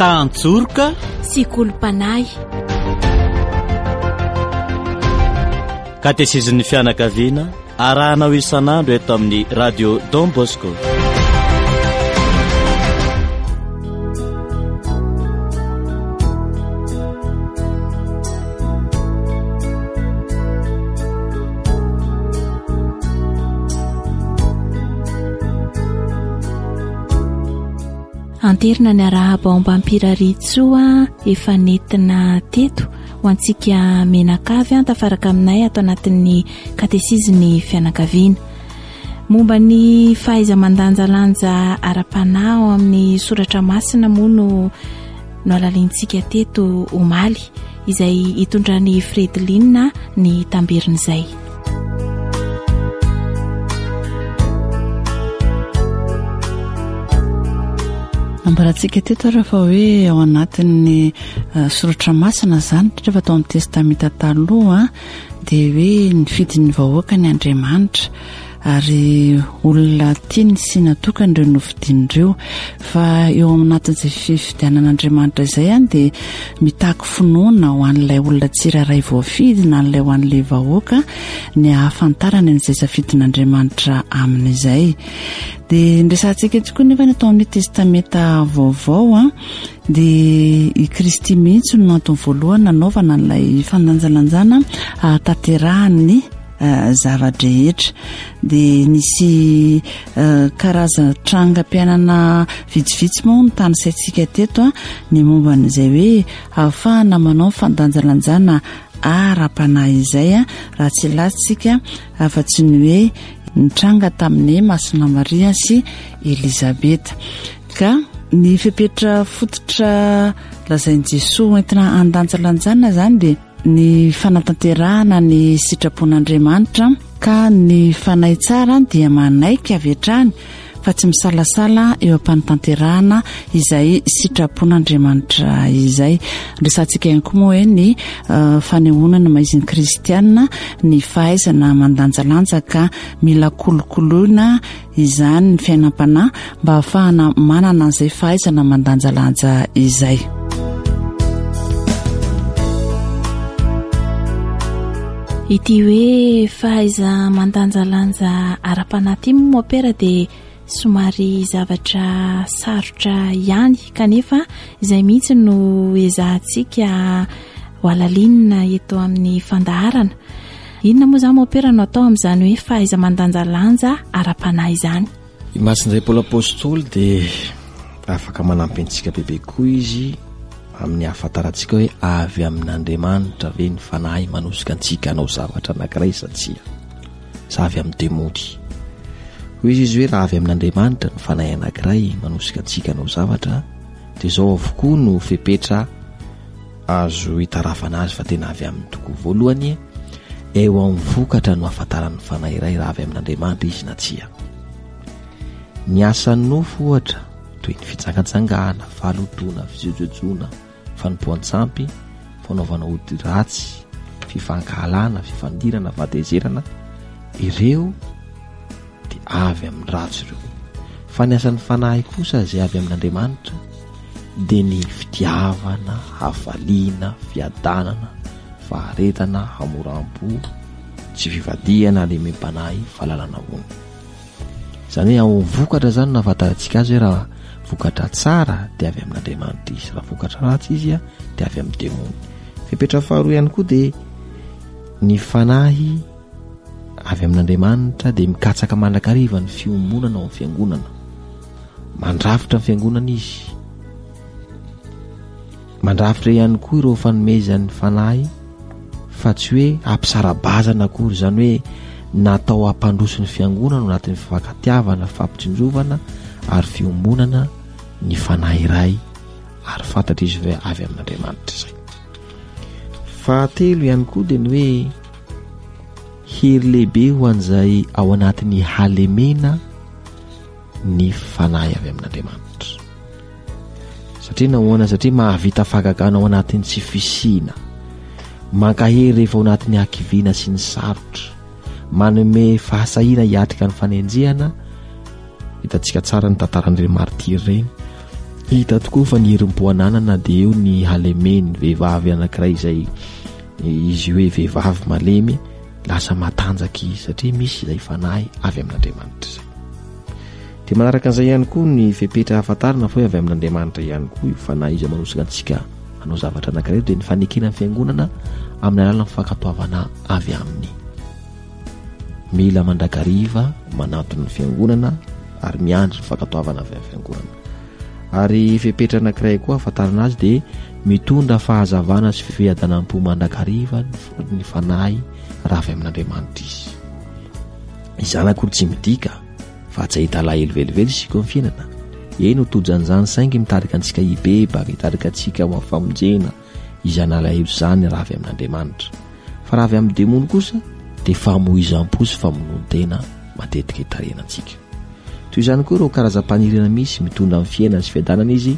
Tantsoroka sy kolom-panahy. Katesizin'ny fianakaviana arahanao isan'andro eto amin'ny Radio Don Bosco. Anterina ny arahaba ao Ambampirariantsoa efa nentina teto ho antsika menakavy an tafaraka aminay ato anatin'ny katesizin'ny fianakaviana. Momba ny fahaiza-mandanjalanja ara-panahy ao amin'ny soratra masina moa no nohalalintsika teto omaly izay hitondran'i Fredeline ny tamberin'izay. Nambarantsika teto ary fa hoe ao anatin'ny eh, soratra masina izany, indrindra fa tao amin'ny testamenta taloha dia hoe nifidy ny vahoaka ny Andriamanitra ary olona tiany sy natokany ireo nofidiny ireo fa eo anatin'izay fifidianan'Andriamanitra izay any dia mitaky finoana ho an'ilay olona tsirairay voafidy na an'ilay ho an'ilay vahoaka ny ahafantarany an'izay safidin'Andriamanitra amin'izay. Dia nyresahantsika eto koa nefa ny atao amin'ny testamenta vaovao a dia i Kristy mihitsy no antony voalohany nanaovana an'ilay fandanjalanjana ahatanterahan'ny eh, zava-drehetra dia nisy eh, karazan-trangam-piainana vitsivitsy moa no tanisaintsika teto a ny momba an'izay hoe ahafahana manao fandanjalanjana ara-panahy izay a raha tsy latsika afa-tsy ny hoe nitranga tamin'ny Masina Maria sy Elizabeta ka ny fepetra fototra lazain'i Jesoa hoentina handanjalanjana izany dia ny fanatanterahana ny sitrapon'Andriamanitra ka ny fanahy tsara dia manaiky avy hatrany fa tsy misalasala eo am-panatanterahana izay sitrapon'Andriamanitra izay. Resahantsika ihany koa moa hoe ny eh, fanehoana ny maizin'ny kristiana ny fahaizana mandanjalanja ka mila kolokoloina izany ny fiainam-panahy mba hahafahana manana an'izay fahaizana mandanjalanja izay. Ity hoe fahaiza-mandanjalanja ara-panahy ity moa mopera dia somary zavatra sarotra ihany kanefa izay mihitsy no ezahantsika ho alalinina eto amin'ny fandaharana. Inona moa izany mopera no atao amin'izany hoe fahaiza-mandanjalanja ara-panahy izany? I Masindahy Paoly Apostoly dia afaka manampy antsika bebe koa izy amin'ny ahafantarantsika hoe avy amin'Andriamanitra ve ny fanahy manosika antsika hanao zavatra anankiray sa tsia, sa avy amin'ny demony. Hoy izy izy hoe raha avy amin'Andriamanitra ny fanahy anankiray manosika antsika hanao zavatra dia izao avokoa no fepetra Azo itarafana azy fa tena avy aminy tokoa. Voalohany, eo amin'ny vokatra no ahafantaran'ny fanahy iray raha avy amin'Andriamanitra izy na tsia. Ny asan'ny nofo ohatra, toy ny fijangajangana, fahalotoana, fijojojoana, fanompoan-tsampy, fanaovana ody ratsy, fifankahalana, fifandirana, fahatezerana, ireo dia avy amin'ny ratsy ireo. Fa ny asan'ny fanahy kosa izay avy amin'Andriamanitra dia ny fitiavana, hafaliana, fiadanana, faharetana, hamoram-po, tsy fivadihana, halemem-panahy, fahalalana hono. Izany hoe ao vokatra izany no ahafantarantsika azy hoe raha vokatra tsara dia avy amin'Andriamanitra izy, raha vokatra ratsy izy dia avy amin'ny demony. Fepetra faharoa ihany koa dia ny fanahy avy amin'Andriamanitra dia mikatsaka mandrakariva ny fiombonana ao amin'ny fiangonana. Mandrafitra ny fiangonana izy. Mandrafitra ihany koa ireo fanomezan'ny fanahy fa tsy hoe hampisara-bazana akory, izany hoe natao hampandroso ny fiangonana ao anatin'ny fifankatiavana, fampitsinjovana ary fiombonana ny fanahy iray ary fantatra izy hoe avy amin'Andriamanitra izay. Fahatelo ihany koa dia ny hoe Hery lehibe ho an'izay ao anatin'ny halemena ny fanahy avy amin'Andriamanitra. Satria nahoana? Satria mahavita fahagagana ao anatin'ny tsy fisiana. Mankahery rehefa ao anatin'ny hakiviana sy ny sarotra. Manome fahasahiana hiatrika ny fanenjehana. Hitantsika tsara ny tantaran'ireny martiry ireny. Hita tokoa fa ny herim-po ananana dia eo ny halemen'ny vehivavy anankiray izay izy hoe vehivavy malemy lasa matanjaka izy satria misy izay fanahy avy amin'Andriamanitra izay. Dia manaraka an'izay ihany koa ny fepetra ahafantarana fa hoe avy amin'Andriamanitra ihany koa io fanahy izay manosika antsika hanao zavatra anankiray dia ny fanekena ny fiangonana amin'ny alalan'ny fankatoavana avy aminy. Mila mandrakariva manantona ny fiangonana ary miandry ny fankatoavana avy amin'ny fiangonana. Ary fepetra anankiray koa ahafantarana azy dia mitondra fahazavana sy fiadanam-po mandrakariva ny fanahy raha avy amin'Andriamanitra izy. Izany akory tsy midika fa tsy hahita alahelo velively isika eo amin'ny fiainana. Eny ho tojo an'izany saingy mitarika antsika hibebaka, hitarika antsika ho amin'ny famonjena izany alahelo izany raha avy amin'Andriamanitra. Fa raha avy amin'ny demony kosa dia famoizam-po sy famonoan-tena matetika itarihana antsika. Toy izany koa ireo karazam-paniriana misy mitondra ny fiainana sy fiadanana izy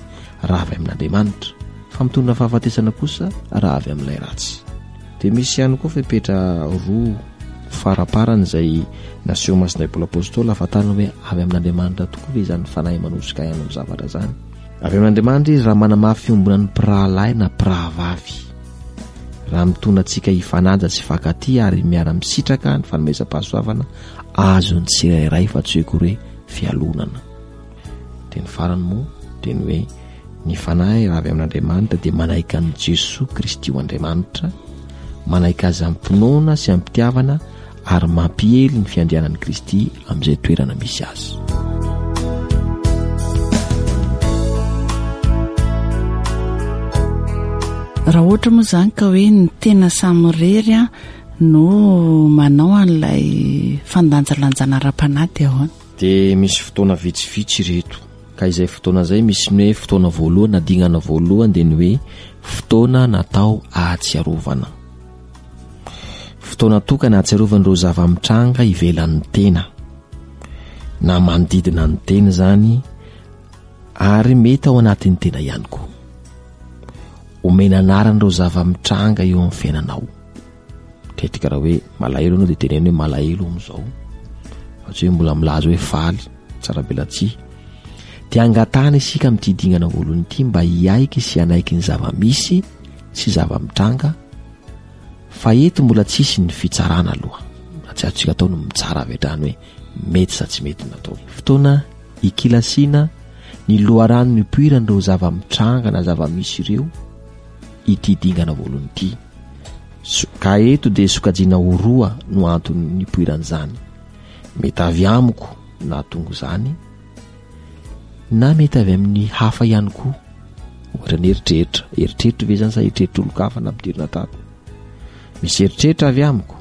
raha avy amin'Andriamanitra, fa mitondra fahafatesana kosa raha avy amin'ilay ratsy. Dia misy ihany koa fepetra roa faraparany izay naseho Masindahy Paoly Apostoly ahafantarana hoe avy amin'Andriamanitra tokoa ve izany fanahy manosika ahy hanao zavatra izany. Avy amin'Andriamanitra izy raha manamafy fiombonan'ny mpirahalahy na mpirahavavy. Raha mitondra antsika hifanaja sy hifankatia ary miara-misitraka ny fanomezam-pahasoavana azon'ny tsirairay fa tsy hoe akory hoe fialonana. Dia ny farany moa dia ny hoe ny fanahy raha avy amin'Andriamanitra dia manaiky an'i Jesoa Kristy ho Andriamanitra, manaiky azy am-pinoana sy am-pitiavana ary mampiely ny fiandrianan'i Kristy amin'izay toerana misy azy. Raha ohatra moa izany ka hoe ny tena samirery no manao an'ilay fandanjalanjana ara-panahy dia ahoana? Dia misy fotoana vitsivitsy ireto. Ka izay fotoana izay misy ny hoe fotoana voalohany na dingana voalohany dia ny hoe fotoana natao ahatsiarovana. Fotoana tokana ahatsiarovana ireo zava-mitranga ivelan'ny tena na manodidina ny tena izany ary mety ao anatin'ny tena ihany koa. Omena anarana ireo zava-mitranga eo amin'ny fiainanao. Matetika raha hoe malahelo ianao dia teneno hoe malahelo amin'izao fa tsy hoe mbola milaza hoe faly, tsara belatsihy. Dia angatahana isika amin'ity dingana voalohany ity mba hiaiky sy hanaiky ny zava-misy sy zava-mitranga fa eto mbola tsisy ny fitsarana aloha. Mbola tsy azontsika atao ny mitsara avy hatrany hoe mety sa tsy mety ny natao. Fotoana ikilasiana ny loharano nipoiran'ireo zava-mitranga na zava-misy ireo ity dingana voalohany ity. Ka eto dia sokajiana ho roa no antony nipoiran'izany. Mety avy amiko nahatonga izany na mety avy amin'ny hafa ihany koa. Ohatra ny eritreritra. Eritreritra ve izany sa eritreritr'olon-kafa nampidirina tato? Misy eritreritra avy amiko.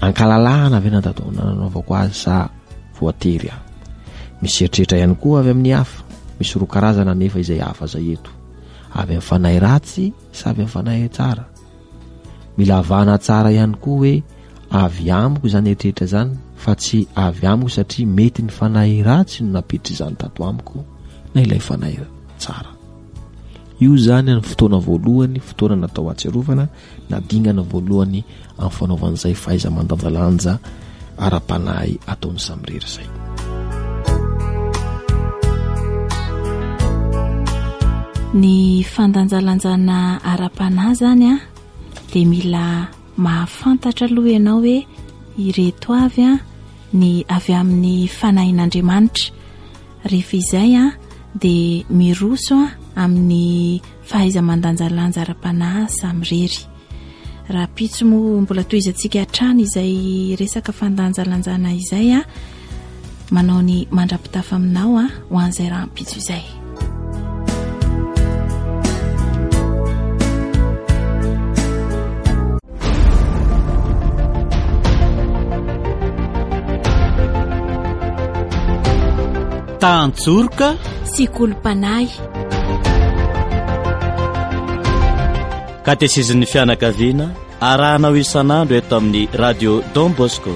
Ankalalahana ve natato nanaovako azy sa voatery aho? Misy eritreritra ihany koa avy amin'ny hafa. Misy roa karazana anefa izay hafa izay eto. Avy amin'ny fanahy ratsy sa avy amin'ny fanahy tsara? Mila avahana tsara ihany koa hoe avy amiko izany eritreritra izany fa tsy avy amiko satria mety ny fanahy ratsy no nampiditra izany tato amiko na ilay fanahy tsara. Io izany ny fotoana voalohany, fotoana natao hahatsiarovana na dingana voalohany amin'ny fanaovan'izay fahaiza-mandanjalanja ara-panahy ataony samirery izay. Ny fandanjalanjana ara-panahy izany a dia mila mahafantatra aloha ianao hoe ireto avy a ny avy amin'ny fanahin'Andriamanitra. Rehefa izay a dia miroso a amin'ny fahaiza-mandanjalanja ara-panahy samirery. Rahampitso moa mbola tohizantsika hatrany izay resaka fandanjalanjana izay a manao ny mandra-pitafa aminao a ho an'izay rahampitso izay. Tantsoroka sy kolom-panahy. Katesizin'ny fianakaviana arahanao isan'andro eto amin'ny Radio Don Bosco.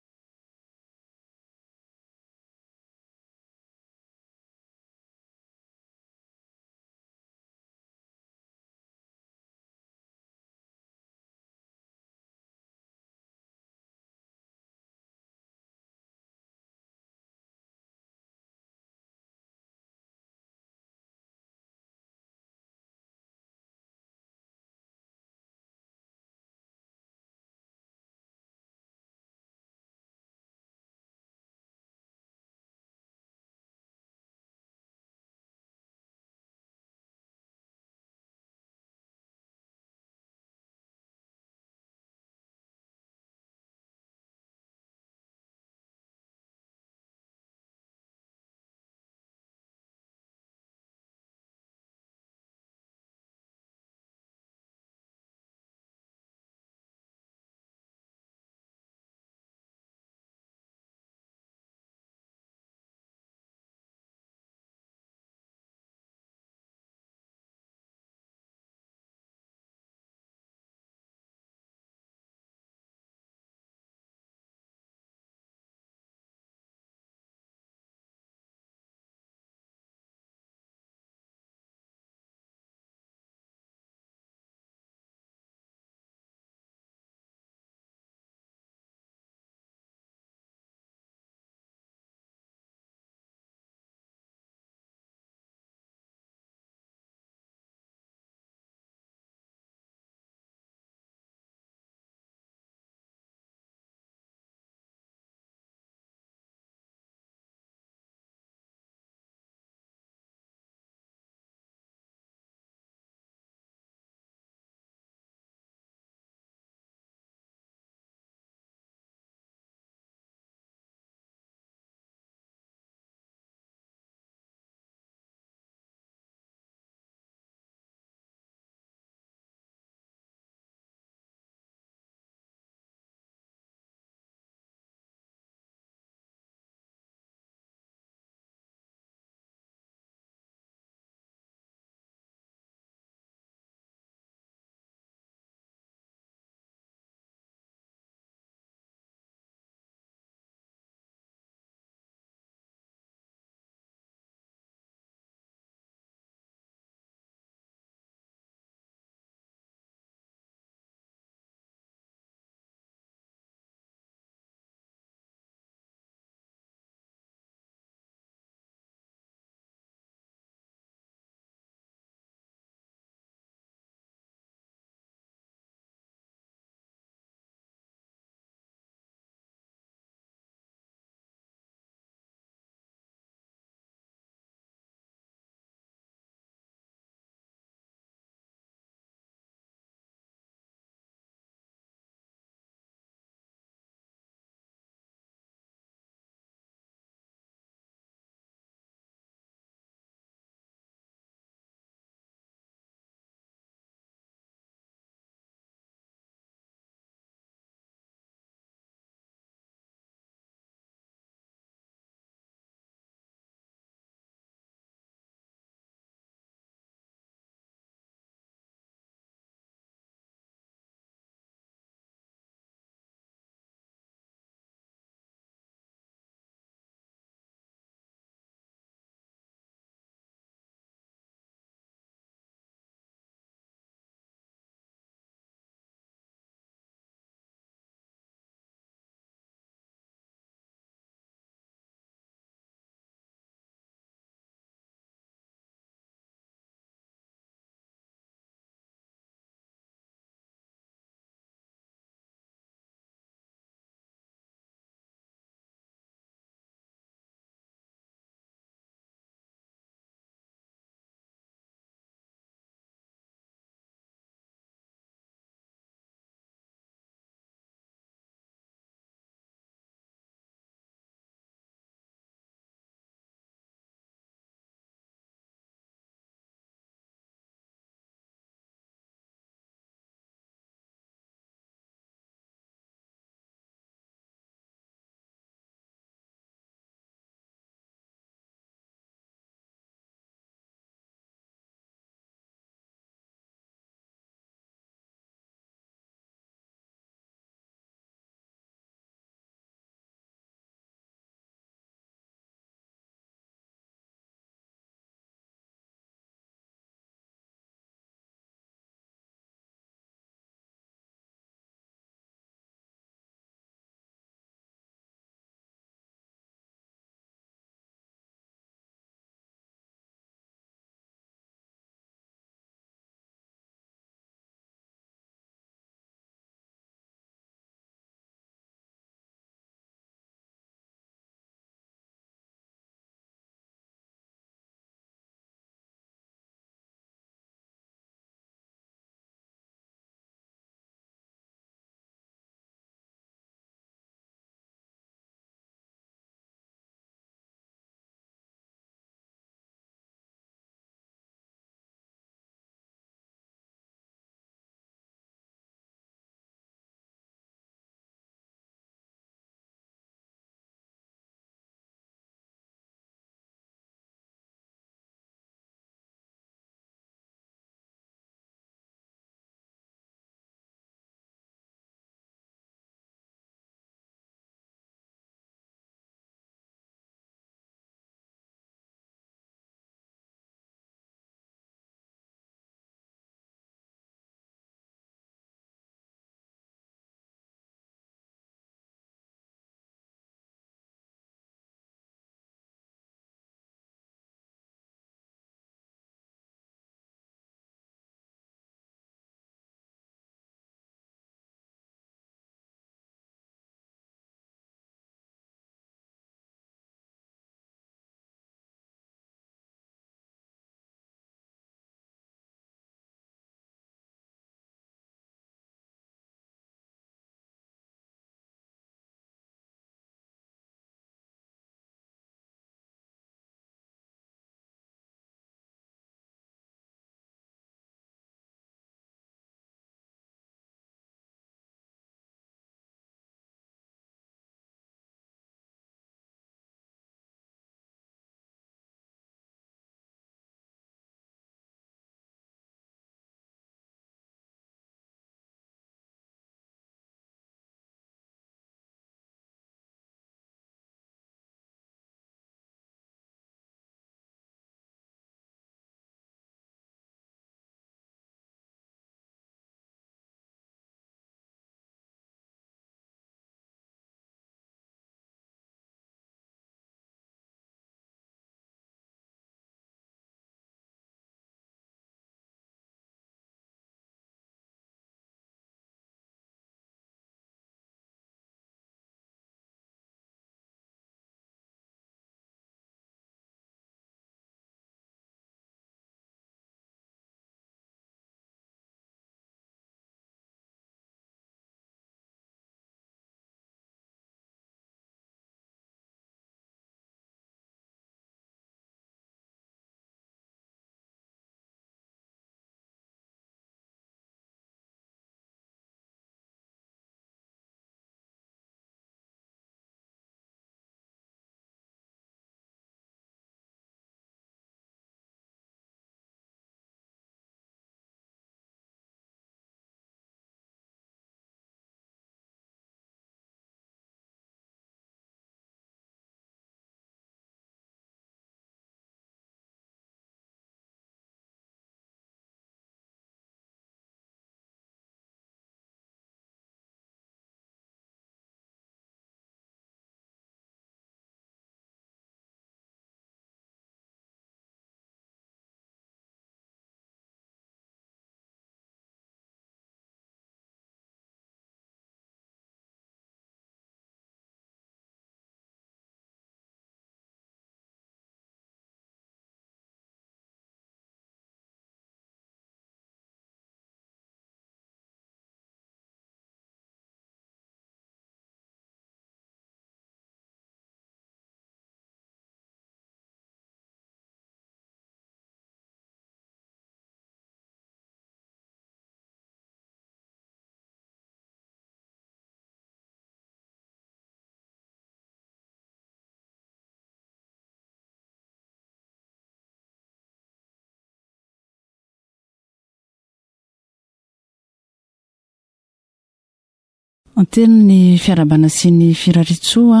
Anteno ny fiarahabana sy ny firariantsoa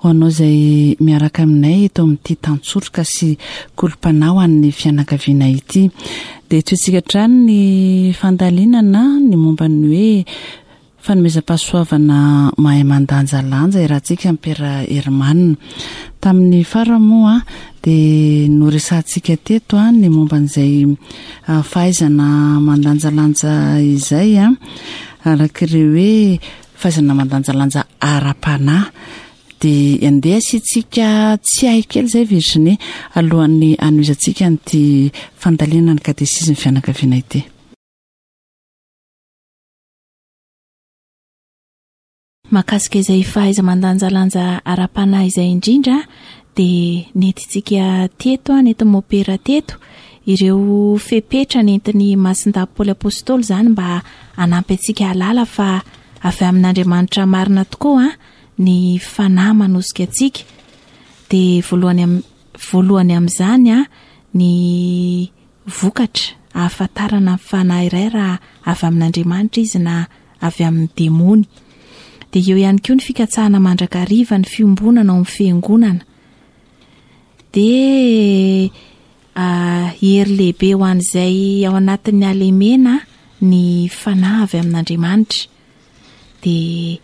ho anao izay miaraka aminay eto amin'ity tantsoroka sy kolom-panahy ho an'ny fianakaviana ity. Dia tohitsika hatrany ny fandalinana ny momba ny hoe fanomezam-pahasoavana mahay mandanjalanja iarahantsika amin'i Père Herman. Tamin'ny farany moa dia noresahantsika teto ny momba an'izay fahaizana mandanjalanja izay. Araka ireo hoe fahaizana mandanjalanja ara-panahy. Dia andeha asiantsika tsiahy kely izay Virginie alohan'ny hanohizantsika an'ity fandalinana ny katesizin'ny fianakaviana ity. Mahakasika izay fahaiza-mandanjalanja ara-panahy izay indrindra dia nentintsika teto, nentin'i Mopera teto, ireo fepetra nentin'i Masindahy Paoly Apostoly izany mba hanampy antsika hahalala fa avy amin'Andriamanitra marina tokoa ny fanahy manosika antsika. Dia voalohany voalohany amin'izany ny vokatra ahafantarana ny fanahy iray raha avy amin'Andriamanitra izy na avy amin'ny demony. Dia eo ihany koa ny fikatsahana mandrakariva ny fiombonana ao amin'ny fiangonana. Dia hery lehibe ho an'izay ao anatin'ny halemena ny fanahy avy amin'Andriamanitra. Dia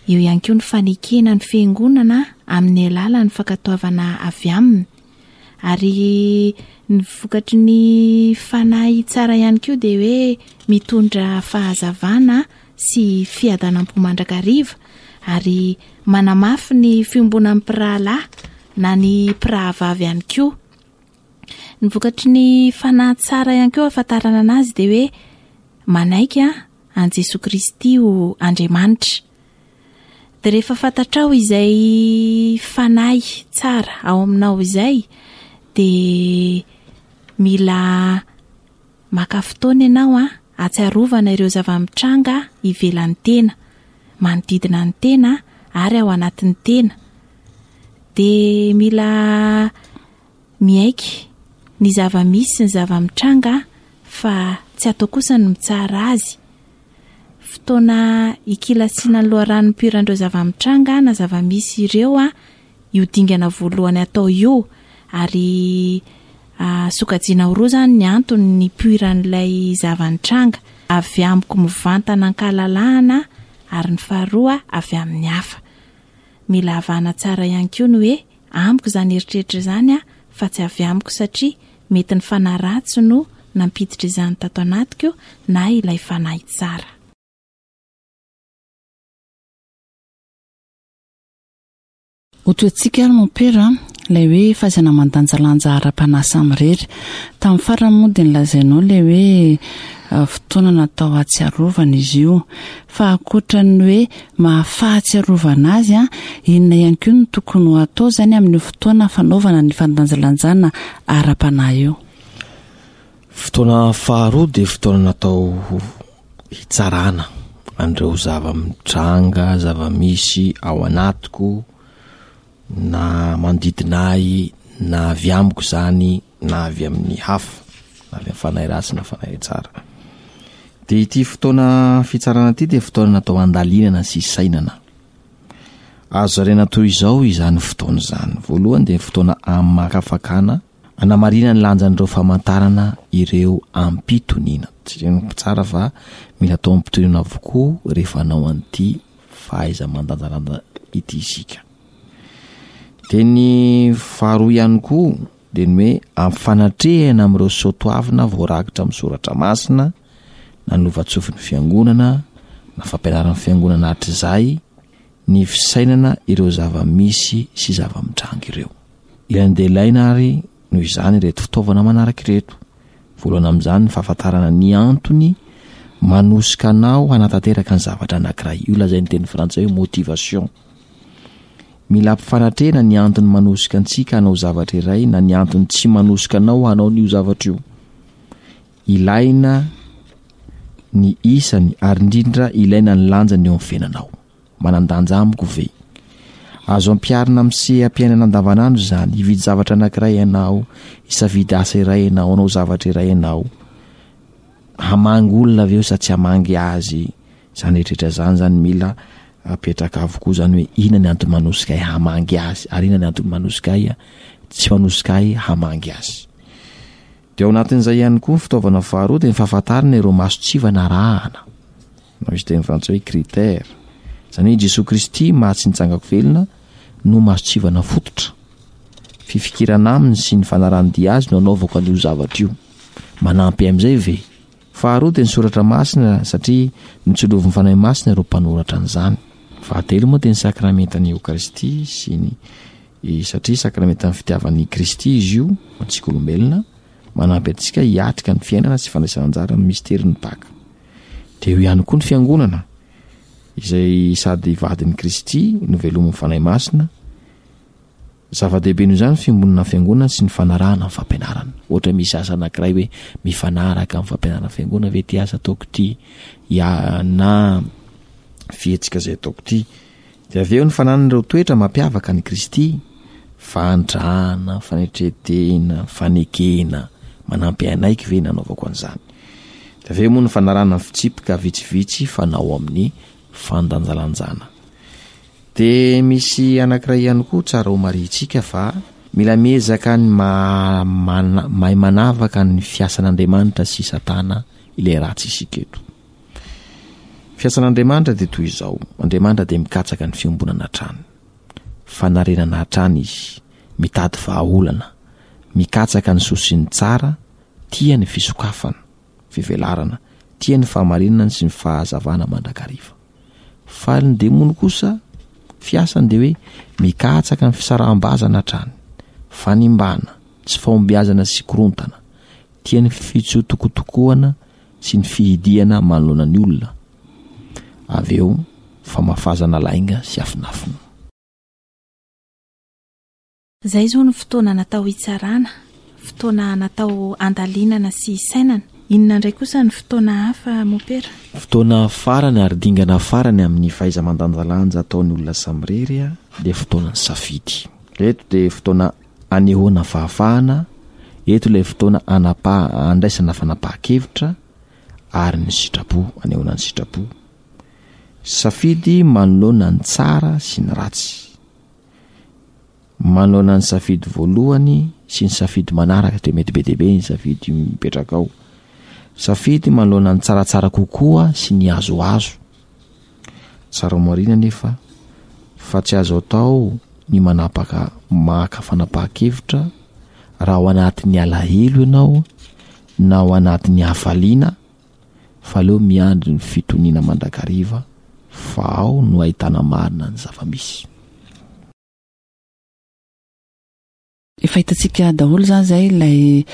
eo ihany koa ny fanekena ny fiangonana amin'ny alalan'ny fankatoavana avy aminy. Ary ny vokatry ny fanahy tsara ihany koa dia hoe mitondra fahazavana sy fiadanam-po mandrakariva ary manamafy ny fiombonan'ny mpirahalahy na ny mpirahavavy ihany koa. Ny vokatry ny fanahy tsara ihany koa ahafantarana anazy dia hoe manaiky an'i Jesoa Kristy ho Andriamanitra. Dia rehefa fantatrao izay fanahy tsara ao aminao izay dia mila maka fotoana ianao an, hatsiarovana ireo zava-mitranga ivelan'ny tena, manodidina ny tena ary ao anatin'ny tena. Dia mila miaiky ny zava-misy sy ny zava-mitranga fa tsy atao kosa ny mitsara azy. Fotoana hikilasiana ny loharano nipoiran'ireo zava-mitranga na zava-misy ireo io dingana voalohany atao io ary sokajiana ho roa izany ny antony nipoiran'ilay zava-nitranga, avy amiko mivantana an-kalalahana ary ny faharoa avy amin'ny hafa. Mila avahana tsara ihany koa ny hoe amiko izany eritreritra izany fa tsy avy amiko satria mety ny fanahy ratsy no nampiditra izany tato anatiko na ilay fanahy tsara. Ho toetsika ary mompera ilay hoe fahaizana mandanjalanja ara-panahy samirery. Tamin'ny farany moa dia nolazainao ilay hoe fotoana natao hahatsiarovana izy io. Fa ankoatra ny hoe maha fahatsiarovana azy, inona ihany koa no tokony ho atao izany amin'io fotoana fanaovana ny fandanjalanjana ara-panahy io? Fotoana faharoa dia fotoana natao hitsarana an'ireo zava-mitranga, zava-misy ao anatiko na manodidina ahy na avy amiko izany na avy amin'ny hafa, na avy amin'ny fanahy ratsy na fanahy tsara. Dia ity fotoana fitsarana ity dia fotoana natao handalinana sy hisainana. Azo zaraina toy izao izany fotoana izany. Voalohany dia fotoana hamakafakana, hanamarina ny lanjan'ireo famantarana ireo am-pitoniana. Jerena tsara fa mila atao am-pitoniana avokoa rehefa hanao an'ity fahaiza-mandanjalanja ity isika. Dia ny faharoa ihany koa dia ny hoe ampifanatrehana amin'ireo soatoavina voarakitra amin'ny soratra masina na novatsofin'ny fiangonana na fampianaran'ny fiangonana hatrizay ny fisainana ireo zava-misy sy zava-mitranga ireo. Ilaina dia ilaina ary noho izany ireto fitaovana manaraka ireto. Voalohany amin'izany ny fahafantarana ny antony manosika anao hanatanteraka ny zavatra anankiray. Io lazain'ny teny frantsay hoe motivation. Mila ampifanatrehina ny antony manosika antsika hanao zavatra iray na ny antony tsy manosika anao hanao an'io zavatra io. Ilaina ny isany ary indrindra ilaina ny lanjany eo amin'ny fiainanao. Manan-danja amiko ve? Azo ampiharina amin'ny seha-piainana andavanandro izany, hividy zavatra anankiray ianao, hisafidy asa iray ianao, hanao zavatra iray ianao. Hamangy olona ve eo sa tsy hamangy azy? Izany rehetra izany izany mila apetraka avokoa izany hoe inona ny antony manosika ahy hamangy azy ary inona ny antony manosika ahy tsy manosika ahy hamangy azy. Dia ao anatin'izay ihany koa ny fitaovana faharoa dia ny fahafantarana ireo mason-tsivana arahana. Na misy teny frantsay hoe critère. Izany hoe Jesoa Kristy maha tsy nitsangako velona no mason-tsivana fototra. Fifikirana aminy sy ny fanarahan-dia azy no anaovako an'io zavatra io. Manampy amin'izay ve? Faharoa dia ny soratra masina satria notsilovin'ny Fanahy Masina ireo mpanoratra an'izany. Fahatelo moa dia ny sakramentan'ny Eokaristia sy ny satria sakramentan'ny fitiavan'i Kristy izy io ho antsika olombelona, manampy antsika hiatrika ny fiainana sy fandraisana anjara amin'ny misterin'ny Paka. Dia eo ihany koa ny Fiangonana izay sady vadin'i Kristy no velomin'ny Fanahy Masina. Zava-dehibe noho izany ny fiombonana fiangonana sy ny fanarahana ny fampianarana. Ohatra misy asa anankiray hoe mifanaraka amin'ny fampianarana fiangonana ve ity asa ataoko ity ya na fihetsika izay ataoko ity. Dia avy eo ny fananana ireo toetra mampiavaka an'i Kristy, fahantrana, fanetren-tena, fanekena, manampy hanaiky ve nanaovako an'izany. Dia avy eo moa ny fanarahana ny fitsipika vitsivitsy fanao amin'ny fandanjalanjana. Dia misy anankiray ihany koa tsara ho marihintsika fa mila miezaka ny mahay manavaka ny fiasan'Andriamanitra sy Satana ilay ratsy isika eto. Fiasan'Andriamanitra dia toy izao, Andriamanitra dia mikatsaka ny fiombonana hatrany. Fanarenana hatrany izy, mitady vahaolana, mikatsaka ny soa sy ny tsara, tia ny fisokafana, fivelarana, tia ny fahamarinana sy ny fahazavana mandrakariva. Fa ny demony kosa, fiasany dia hoe mikatsaka ny fisaraham-bazana hatrany, fanimbana, tsy fahombiazana sy korontana, tia ny fitsotokotokoana sy ny fihidiana manoloana ny olona, avy eo famafazana lainga sy afinafina. Izay izao no fotoana natao hitsarana, fotoana natao handalinana sy hisainana. Inona indray kosa ny fotoana hafa, Mopera? Fotoana farany ary dingana farany amin'ny fahaiza-mandanjalanja ataon'ny olona samirery dia fotoanan'ny safidy. Eto dia fotoana anehoana fahafahana, eto ilay fotoana anapaha, andraisana fanapahan-kevitra ary ny sitrapo, anehoana ny sitrapo. Safidy manoloana ny tsara sy ny ratsy. Manoloana ny safidy voalohany sy ny safidy manaraka dia mety be dia be ny safidy mipetraka ao. Safidy manoloana ny tsaratsara kokoa sy ny azoazo. Tsara marina nefa fa tsy azo atao ny manapaka maka fanapahan-kevitra raha ao anatin'ny alahelo ianao na ao anatin'ny hafaliana fa aleo miandry ny fitoniana mandrakariva fa ao no ahitana marina ny zava-misy. Efa hitantsika daholo izany izay ilay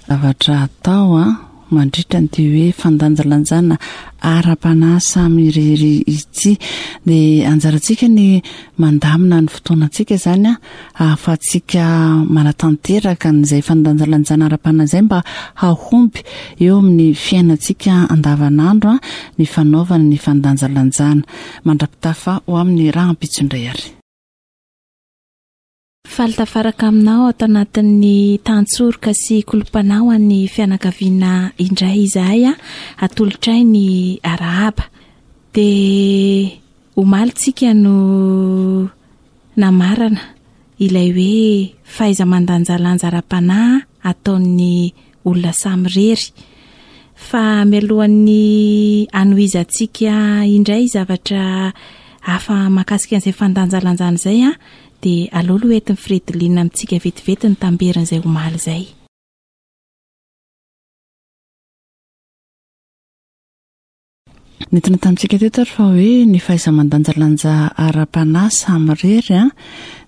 zavatra atao an, mandritra an'ity hoe fandanjalanjana ara-panahy samy irery ity. Dia anjarantsika ny mandamina ny fotoanantsika izany an, ahafahantsika manatanteraka an'izay fandanjalanjana ara-panahy izay mba hahomby eo amin'ny fiainantsika andavanandro ny fanaovana ny fandanjalanjana. Mandra-pitafa ho amin'ny rahampitso indray ary. Faly tafaraka aminao ato anatin'ny tantsoroka sy kolom-panahy ho an'ny fianakaviana indray izahay atolotray ny arahaba. Dia omaly tsika no namarana ilay hoe fahaiza-mandanjalanja ara-panahy ataon'ny olona samirery. Fa mialohan'ny hanohizantsika indray zavatra hafa mahakasika an'izay fandanjalanjana izay dia aleo aloha entin'i Fredeline amintsika vetivety ny tamberin'izay omaly izay. Nentina tamintsika teto ary fa hoe ny fahaiza-mandanjalanja ara-panahy samirery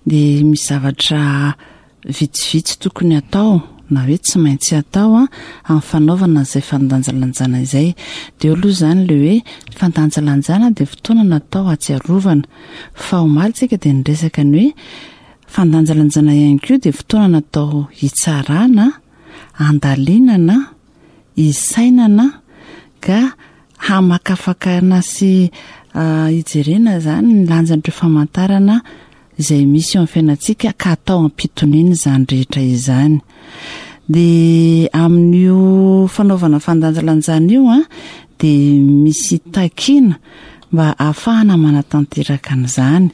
dia misy zavatra vitsivitsy tokony atao na hoe tsy maintsy atao amin'ny fanaovana izay fandanjalanjana izay. Dia eo aloha izany ilay hoe ny fandanjalanjana dia fotoana natao hahatsiarovana. Fa omaly tsika dia niresaka ny hoe fandanjalanjana ihany koa dia fotoana natao hitsarana, handalinana, hisainana ka hamakafakana sy hijerena izany ny lanjan'ireo famantarana izay misy eo amin'ny fiainantsika ka atao am-pitoniana izany rehetra izany. Dia amin'io fanaovana fandanjalanjana io an, dia misy takiana mba ahafahana manatanteraka an'izany.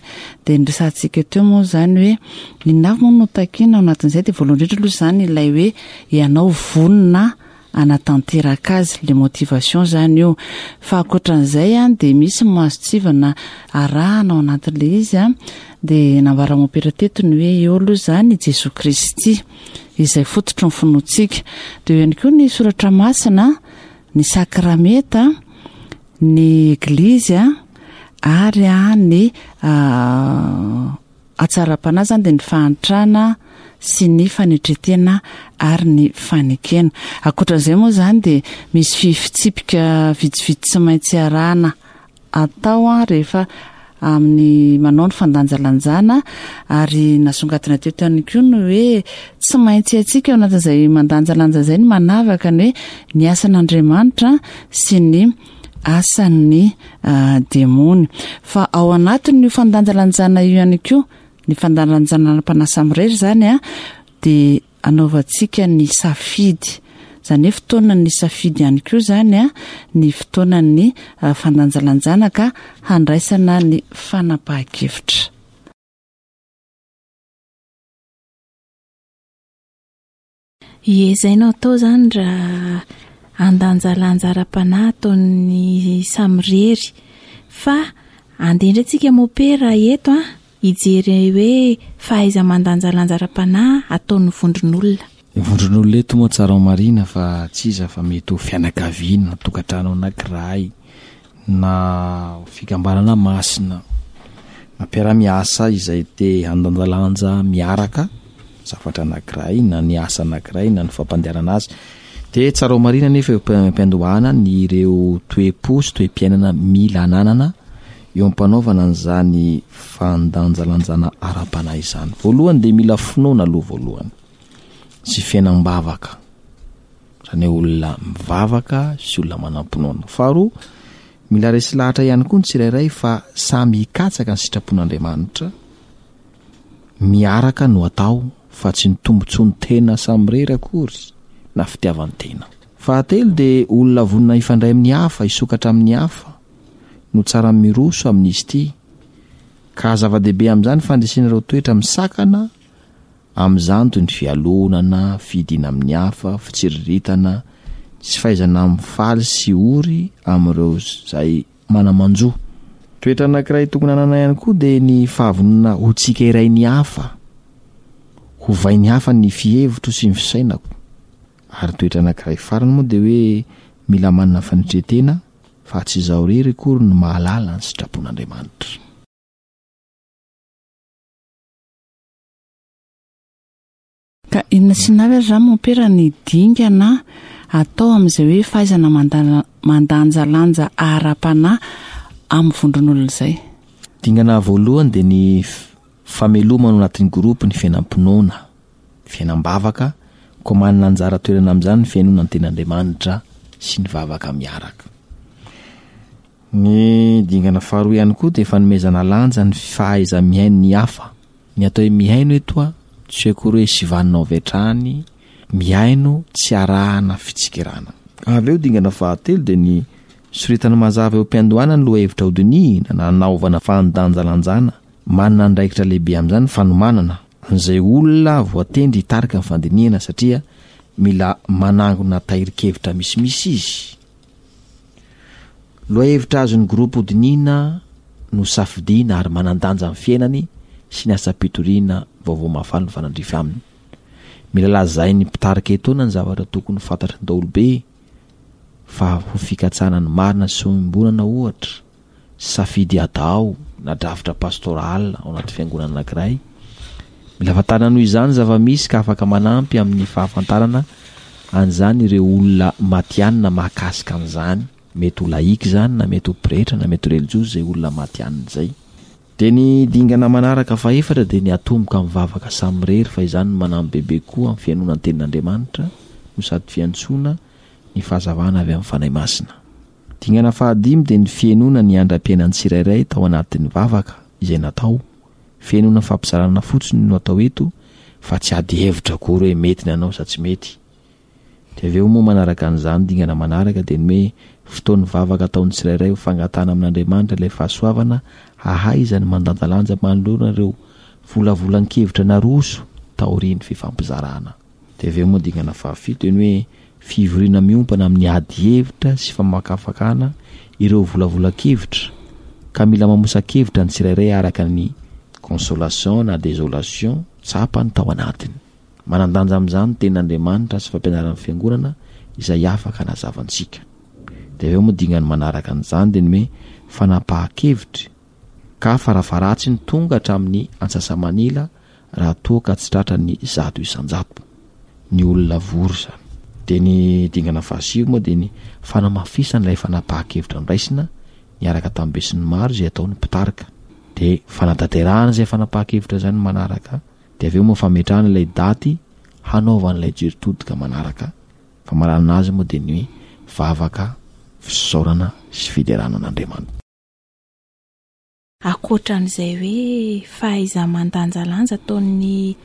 Dia ny resahantsika teo moa izany hoe inona avy moa no takiana ao anatin'izay dia voalohany indrindra aloha izany ilay hoe ianao vonona hanatanteraka azy, le motivation izany io. Fa ankoatran'izay an dia misy mason-tsivana arahana ao anatin'ilay izy an, dia nambaran'i Mompera teto ny hoe eo aloha izany i Jesoa Kristy izay fototry ny finoantsika. Dia eo ihany koa ny soratra masina, ny sakramenta, ny eglizy ary ny hatsaram-panahy izany dia ny fahantrana sy ny fanetren-tena ary ny fanekena. Ankoatra izay moa izany dia misy fitsipika vitsivitsy tsy maintsy arahana atao rehefa amin'ny manao ny fandanjalanjana ary nasongadina teto ihany koa ny hoe tsy maintsy haintsika ao anatin'izay mandanjalanja izay ny manavaka ny hoe ny asan'Andriamanitra sy ny asan'ny demony. Fa ao anatin'io fandanjalanjana io ihany koa, ny fandanjalanjana ara-panahy samirery izany dia anaovantsika ny safidy. Izany hoe fotoanan'ny safidy ihany koa izany ny fotoanan'ny fandanjalanjana ka handraisana ny fanapahan-kevitra. Ie, izay no atao izany raha handanjalanja ara-panahy ataon'ny samirery. Fa andeha indray tsika mopera eto an, hijery hoe fahaiza-mandanjalanja ara-panahy ataon'ny vondron'olona. Ny vondron'olona eto moa tsara ho marihina fa tsy iza fa mety ho fianakaviana na tokantrano anankiray na fikambanana masina na mpiara-miasa izay te handanjalanja miaraka zavatra anankiray na ny asa anankiray na ny fampandehanana azy. Dia tsara ho marihina nefa eo am-piandohana ny ireo toe-po sy toe-piainana mila ananana eo am-panaovana an'izany fandanjalanjana ara-panahy izany. Voalohany dia mila finoana aloha voalohany sy fiainam-bavaka. Izany hoe olona mivavaka sy olona manam-pinoana. Faharoa, mila resy lahatra ihany koa ny tsirairay fa samy hikatsaka ny sitrapon'Andriamanitra miaraka no atao fa tsy ny tombontsoan'ny tena samirery akory na fitiavan-tena. Fahatelo dia olona vonona hifandray amin'ny hafa, hisokatra amin'ny hafa no tsara miroso amin'izy ity ka zava-dehibe amin'izany fandresena ireo toetra misakana amin'izany toy ny fialonana, fidiana amin'ny hafa, fitsiriritana, tsy fahaizana mifaly sy ory amin'ireo izay mana-manjo. Toetra anankiray tokony hanana ihany koa dia ny fahavonona ho tsikerain'ny hafa, hovain'ny hafa ny fihevitro sy ny fisainako. Ary toetra anankiray farany moa dia hoe mila manana fanetren-tena fa tsy izaho irery akory no mahalala ny sitrapon'Andriamanitra. Ka inona sy inona avy ary izany mompera ny dingana atao amin'izay hoe fahaizana mandanjalanja ara-panahy amin'ny vondron'olona izay? Dingana voalohany dia ny famelomana ao anatin'ny groupe ny fiainam-pinoana, fiainam-bavaka, koa manana anjara toerana amin'izany ny fihainoana ny tenin'Andriamanitra sy ny vavaka miaraka. Ny dingana faharoa ihany koa dia fanomezana lanja ny fahaiza-mihaino ny hafa. Ny atao hoe mihaino eto a, tsy hoe akory hoe sivanina avy hatrany, mihaino tsy arahana fitsikerana. Avy eo dingana fahatelo dia ny soritana mazava eo am-piandohana ny lohahevitra hodinihina na hanaovana fandanjalanjana. Manana andraikitra lehibe amin'izany ny fanomanana an'izay olona voatendry hitarika ny fandinihana satria mila manangona tahirin-kevitra misimisy izy. Lohahevitra azon'ny groupe hodinihina no safidiana ary manan-danja amin'ny fiainany sy ny asam-pitoriana vaovao mahafaly mifanandrify aminy. Mila lazain'ny mpitarika etoana ny zavatra tokony ho fantatry ny daholobe fa ho fikatsahana ny marina sy ho iombonana ohatra, safidy atao na drafitra pastoral ao anaty fiangonana anankiray. Mila fantarina noho izany ny zava-misy ka afaka manampy amin'ny fahafantarana an'izany ireo olona matihanina mahakasika an'izany. Mety ho laïc izany na mety ho pretra na mety ho relijiozy izay olona matihanina izay. Dia ny dingana manaraka fahefatra dia ny hatomboka amin'ny vavaka samirery fa izany no manampy bebe kokoa amin'ny fihainoana ny tenin'Andriamanitra no sady fiantsoana ny fahazavana avy amin'ny Fanahy Masina. Dingana fahadimy dia ny fihainoana ny andram-piainan'ny tsirairay tao anatin'ny vavaka izay natao. Fihainoana fampizarana fotsiny no atao eto fa tsy ady hevitra akory hoe mety ny anao sa tsy mety. Dia avy eo moa manaraka an'izany dingana manaraka dia ny hoe fotoan'ny vavaka ataon'ny tsirairay ho fangatahana amin'Andriamanitra ilay fahasoavana hahaizany mandanjalanja manoloana ireo volavolan-kevitra naroso taorian'ny fifampizarana. Dia avy eo moa dingana fahafito dia ny hoe fivoriana miompana amin'ny ady hevitra sy famakafakana ireo volavolan-kevitra ka mila mamosa-kevitra ny tsirairay araka ny consolation na désolation tsapany tao anatiny. Manan-danja amin'izany ny Tenin'Andriamanitra sy fampianaran'ny Fiangonana izay afaka hanazava antsika. Dia avy eo moa dingany manaraka an'izany dia ny hoe fanapahan-kevitry ka farafaharatsiny tonga hatramin'ny antsasamanila raha toa ka tsy tratra ny 100% ny olona vory izany. Dia ny dingana fahasivy moa dia ny fanamafisana ilay fanapahan-kevitra noraisina niaraka tamin'ny besinimaro izay ataon'ny mpitarika. Dia fanatanterahana izay fanapahan-kevitra izay no manaraka. Dia avy eo moa fametrahana ilay daty hanaovana ilay jery todika manaraka. Famaranana azy moa dia ny hoe vavaka, fisaorana sy fiderana an'Andriamanitra. Ankoatra an'izay hoe fahaiza-mandanjalanja ataon'ny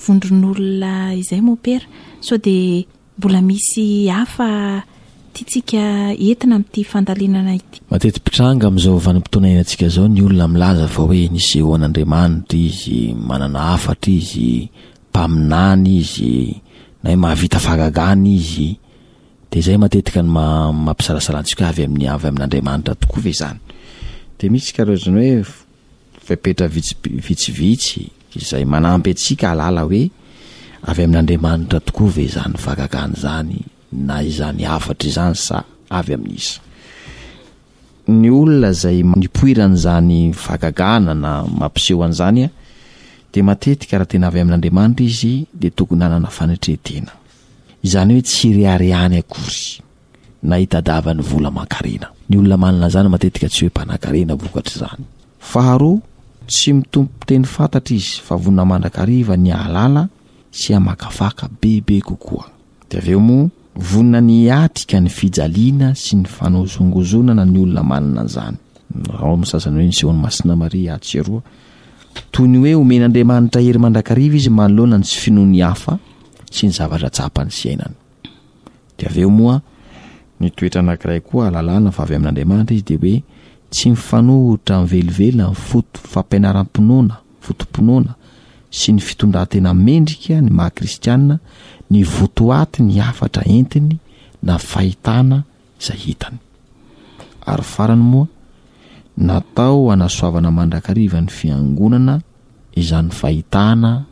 vondron'olona izay mompera, sao dia Mbola misy hafa tiantsika entina amin'ity fandalinana ity. Mateti-pitranga amin'izao vanim-potoana iainantsika izao ny olona milaza fa hoe nisehoan'Andriamanitra izy, manana hafatra izy, mpaminany izy, na hoe mahavita fahagagana izy. Dia izay matetika no mampisalasala antsika hoe avy amin'ny avy amin'Andriamanitra tokoa ve izany? Dia misy karazana hoe fepetra vitsivitsy izay manampy antsika hahalala hoe avy amin'Andriamanitra tokoa ve izany fahagagana izany na izany hafatra izany sa avy amin'iza. Ny olona izay nipoiran'izany fahagagana na mampiseho an'izany dia matetika raha tena avy amin'Andriamanitra izy dia tokony hanana fanetren-tena. Izany hoe tsy reharehany akory. na hitadiavany vola aman-karena. Ny olona manana izany matetika tsy hoe mpanankarena vokatr'izany. Faharoa, tsy mitompo teny fantatra izy fa vonona mandrakariva ny hahalala sy hamakafaka bebe kokoa. Dia avy eo moa, vonona ny hiatrika ny fijaliana sy ny fanozongozonana ny olona manana an'izany. Ao amin'ny sasany hoe nisehoan'i Masina Maria atsy sy eroa. Toy ny hoe omen'Andriamanitra hery mandrakariva izy manoloana ny tsy finoan'ny hafa sy ny zavatra tsapany sy iainany. Dia avy eo moa, ny toetra anankiray koa ahalalana fa avy amin'Andriamanitra izy dia hoe tsy mifanohitra amin'ny velively amin'ny foto fampianaram-pinoana, foto-pinoana, sy ny fitondran-tena mendrika ny maha kristiana, ny votoaty ny hafatra entiny na fahitana izay hitany. Ary farany moa, natao hanasoavana mandrakariva ny fiangonana izany fahitana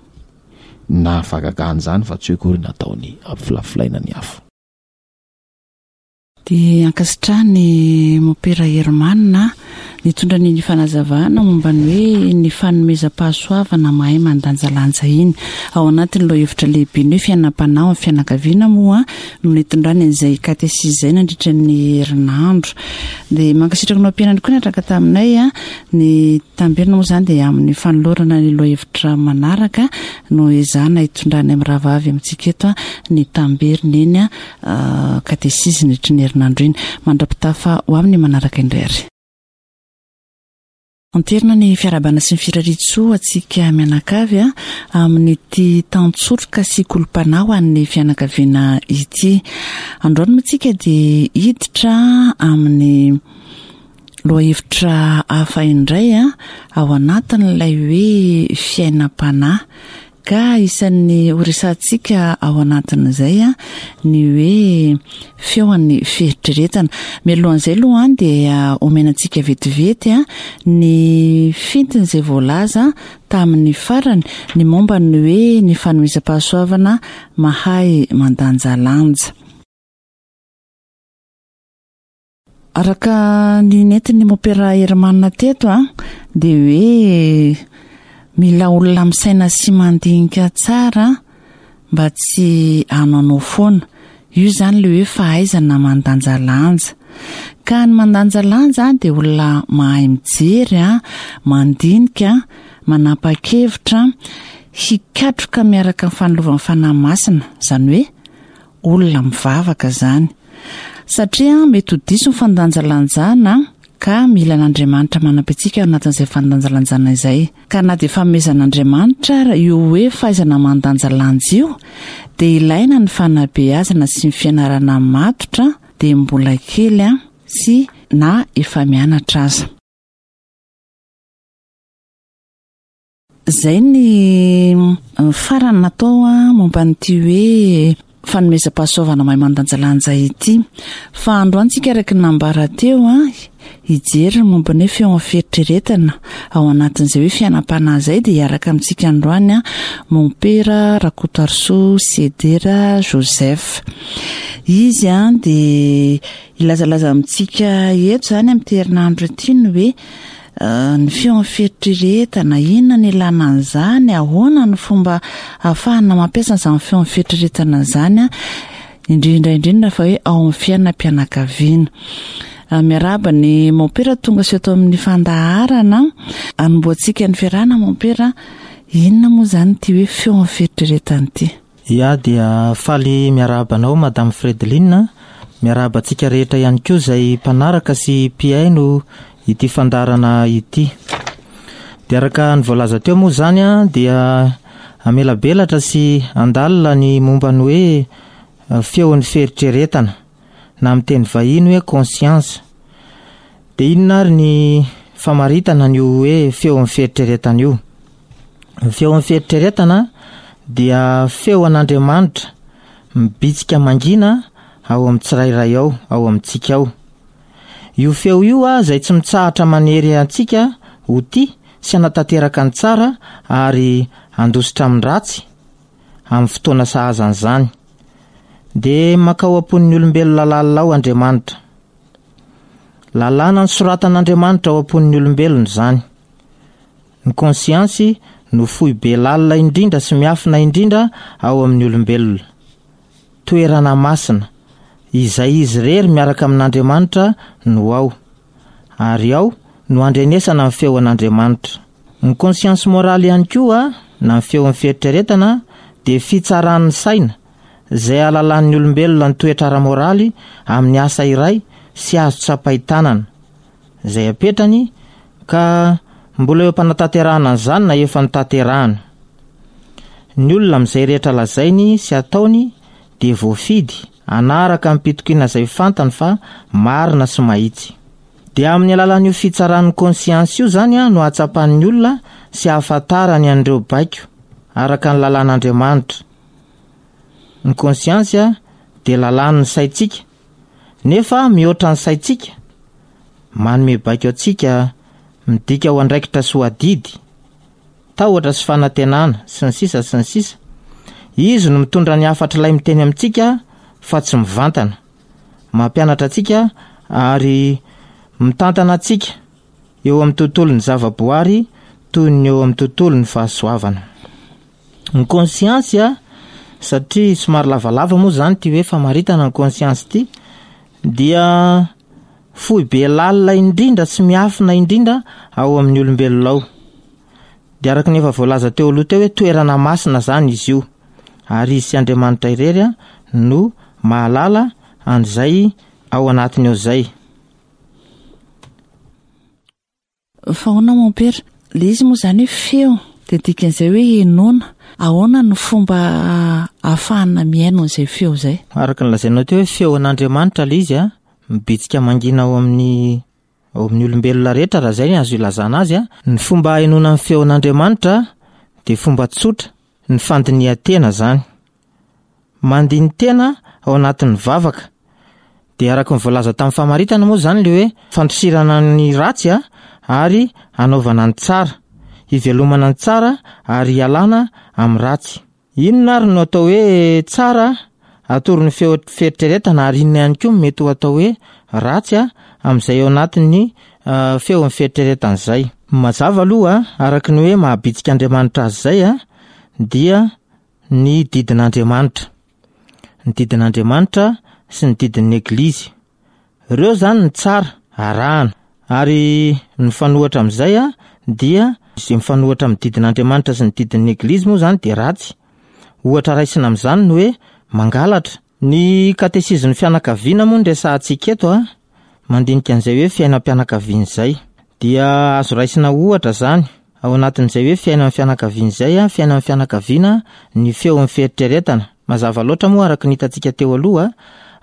na fahagagana izany fa tsy hoe akory nataony hampifilafilaina ny hafa. Dia ankasitrahan'i Mompera Herman nitondra ny fanazavana momba ny hoe ny fanomezam-pahasoavana mahay mandanjalanja iny. Ao anatin'ny lohahevitra lehibe ny hoe fiainam-panahy ao amin'ny fianakaviana moa no nitondrany an'izay katesizy izay nandritra ny herinandro. Dia mankasitraka anao mpianany koa niaraka taminay ny Tamberina moa izany dia amin'ny fanolorana ny lohahevitra manaraka no ezahana hitondrany amin'ny rahavavy amintsika eto ny tamberina eny katesizy nandritry ny herinandro iny. Mandra-pitafa ho amin'ny manaraka indray ary. Anterina ny fiarahabana sy ny firarian-tsoa antsika mianakavy amin'ity tantsoroka sy kolom-panahy ho an'ny fianakaviana ity. Androany moa tsika dia hiditra amin'ny Lohahevitra hafa indray ao anatin'ilay hoe fiainam-panahy ka isan'ny horesahantsika ao anatin'izay ny hoe feon'ny fieritreretana. Mialohan'izay aloha dia omena antsika vetivety ny fintin'izay voalaza tamin'ny farany ny momba ny hoe ny fanomezam-pahasoavana mahay mandanjalanja. Araka ny nentin'ny Mompera Herman teto dia hoe mila olona misaina sy mandinika tsara mba tsy hanaonao foana. Io izany ilay hoe fahaizana mandanjalanja. Ka ny mandanjalanja dia olona mahay mijery, mandinika, manapa-kevitra, hikatroka miaraka amin'ny fanilovan'ny Fanahy Masina. Izany hoe olona mivavaka izany. Satria mety ho diso ny fandanjalanjana. Ka mila an'Andriamanitra manampy antsika ao anatin'izay fandanjalanjana izay. Ka na dia fanomezan'Andriamanitra ara io hoe fahaizana mandanjalanja io, dia ilaina ny fanabeazana sy ny fianarana matotra dia mbola kely sy na efa mianatra aza. Izay ny farany natao momba an'ity hoe fanomezam-pahasoavana mahay mandanjalanja ity. Fa androany tsika araka ny nambara teo hijery ny momba ny hoe feon'ny fieritreretana ao anatin'izay hoe fiainam-panahy izay dia hiaraka amintsika androany Mompera Rakotoarisoa Sedera Joseph. Izy dia hilazalaza amintsika eto izany amin'ity herinandro ity ny hoe Ny feon'ny fieritreretana, inona ny ilana an'izany, ahoana ny fomba ahafahana mampiasa an'izany feon'ny fieritreretana izany, indrindra indrindra fa hoe ao amin'ny fiainam-pianakaviana. Miarahaba ny mompera tonga sy eto amin'ny fandaharana. Anombohantsika ny fiarahana mompera, inona moa izany ity hoe feon'ny fieritreretana ity? Ya dia faly miarahaba anao Madame Fredeline, miarahaba antsika rehetra ihany koa izay mpanaraka sy mpihaino ity fandaharana ity. Dia araka ny voalaza teo moa izany dia hamelabelatra sy handalina ny momba ny hoe feon'ny fieritreretana na amin'ny teny vahiny hoe conscience. Dia inona ary ny famaritana an'io hoe feon'ny fieritreretana io? Ny feon'ny fieritreretana dia feo an'Andriamanitra mibitsika mangina ao amin'ny tsirairay ao, ao amintsika ao. Io feo io izay tsy mitsahatra manery antsika ho tia sy hanatanteraka ny tsara ary handositra amin'ny ratsy amin'ny fotoana sahaza an'izany. Dia mankao am-pon'ny olombelona lalina ao Andriamanitra. Lalàna nosoratan'Andriamanitra ao am-pon'ny olombelona izany. Ny konsiansy no foibe lalina indrindra sy miafina indrindra ao amin'ny olombelona. Toerana masina, izay izy irery miaraka amin'Andriamanitra no ao. Ary ao no andrenesana ny feon'Andriamanitra. Ny konsiansy moraly ihany koa, na ny feon'ny fieritreretana, dia fitsaran'ny saina, izay ahalalan'ny olombelona ny toetra ara-moraly amin'ny asa iray sy azo tsapain-tanana. Izay apetrany ka mbola eo am-panatanterahana an'izany na efa notanterahana. Ny olona amin'izay rehetra lazainy sy ataony dia voafidy hanaraka amim-pitokiana izay fantany fa marina sy mahitsy. Dia amin'ny alalan'io fitsaran'ny konsiansy io izany no ahatsapan'ny olona sy ahafantarany an'ireo baiko araka ny lalàn'Andriamanitra. Ny konsiansy dia lalàn'ny saintsika Nefa mihoatra ny saintsika, manome baiko antsika midika ho andraikitra sy ho adidy, tahotra sy fanantenana, sy ny sisa sy ny sisa Izy no mitondra ny hafatr'ilay miteny amintsika fa tsy mivantana. Mampianatra antsika ary mitantana antsika eo amin'ny tontolon'ny zavaboary toy ny eo amin'ny tontolon'ny fahasoavana. Ny conscience a, satria somary lavalava moa zany ity hoe famaritana ny conscience ity, dia foibe lalina indrindra sy miafina indrindra ao amin'ny olombelona ao. Dia araka ny efa voalaza teo aloha teo hoe toerana masina zany izy io, ary izy sy Andriamanitra irery no mahalala an'izay ao anatiny ao izay. Fa ahoana mompera? Le izy moa zany hoe feo dia dikan'izay hoe henoina. Ahoana no fomba ahafahana mihaino an'izay feo izay? Araka ny lazainao teo hoe feo an'Andriamanitra le izy a, mibitsika mangina ao amin'ny ao amin'ny olombelona rehetra raha izay ny azo ilazana azy a. Ny fomba ahenoana ny feon'Andriamanitra dia fomba tsotra, ny fandinihan-tena zany. Mandini-tena ao anatin'ny vavaka. Dia araka ny voalaza tamin'ny famaritana moa izany ilay hoe fandosirana ny ratsy a, ary hanaovana ny tsara, hivelomana ny tsara ary hialana amin'ny ratsy. Inona ary no atao hoe tsara atoron'ny feo fieritreretana ary inona ihany koa no mety ho atao hoe ratsy amin'izay ao anatin'ny feon'ny fieritreretana izay? Mazava aloha araka ny hoe maha-bitsika Andriamanitra azy izay dia ny didin'Andriamanitra. Ny didin'Andriamanitra sy ny didin'ny Eglizy. Ireo izany ny tsara arahana. Ary ny mifanohitra amin'izay dia izay mifanohitra amin'ny didin'Andriamanitra sy ny didin'ny Eglizy moa izany dia ratsy. Ohatra raisina amin'izany ny hoe mangalatra. Ny katesizin'ny fianakaviana moa no resahantsika eto. mandinika an'izay hoe fiainam-pianakaviana izay. Dia azo raisina ohatra izany, ao anatin'izay hoe fiainan'ny fianakaviana izay, fiainan'ny fianakaviana, ny feon'ny fieritreretana. Mazava loatra moa araka ny hitantsika teo aloha,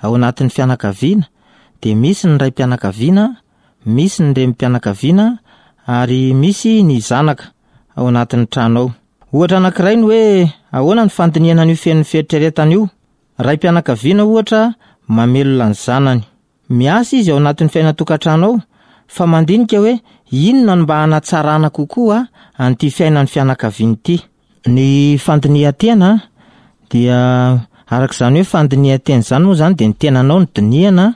ao anatin'ny fianakaviana dia misy ny raim-pianakaviana, misy ny renim-pianakaviana ary misy ny zanaka ao anatin'ny trano ao. Ohatra anankiray ny hoe ahoana ny fandinihana an'io feon'ny fieritreretana io. Raim-pianakaviana ohatra mamelona ny zanany. Miasa izy ao anatin'ny fiainan-tokantrano ao fa mandinika hoe inona no mba hanatsarana kokoa an'ity fiainan'ny fianakaviana ity. Ny fandinihan-tena dia araka izany hoe fandinihan-tena izany moa izany dia ny tenanao no dinihana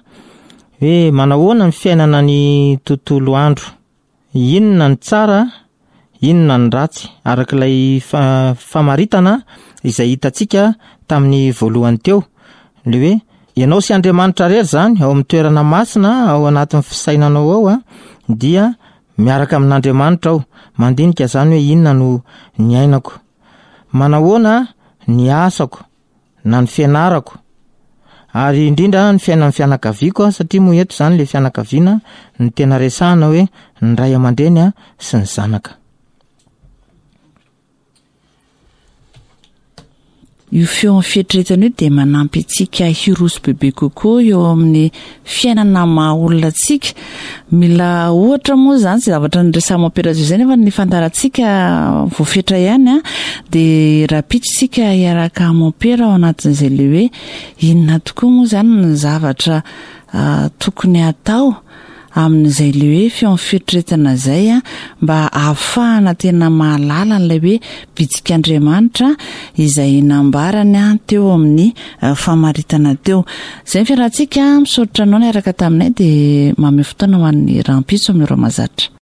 hoe manahoana ny fiainana ny tontolo andro. Inona ny tsara, inona ny ratsy, araka ilay famaritana izay hitantsika tamin'ny voalohany teo, ilay hoe ianao sy Andriamanitra irery izany ao amin'ny toerana masina ao anatin'ny fisainanao ao dia miaraka amin'Andriamanitra ao, mandinika izany hoe inona no niainako, manahoana ny asako, na ny fianarako, ary indrindra ny fiainan'ny fianakaviako satria moa eto izany ilay fianakaviana no tena resahana hoe ny ray aman-dreny sy ny zanaka. Io feon'ny fieritreretana io dia manampy antsika hiroso bebe kokoa eo amin'ny fiainana maha olona antsika. Mila ohatra moa izany izay zavatra niresahan'i Mompera José nefa ny fandaharantsika voafetra ihany an, dia rahampitso isika hiaraka amin'i Mompera ao anatin'izay ilay hoe inona tokoa moa izany ny zavatra tokony hatao amin'izay ilay hoe feon'ny fieritreretana izay mba hahafahana tena mahalala an'ilay hoe bitsik'Andriamanitra izay nambarany teo amin'ny famaritana teo. Izay ny fiarahantsika, misaotra anao niaraka taminay dia mamehy fotoana ho an'ny rahampitso amin'ny ora mahazatra.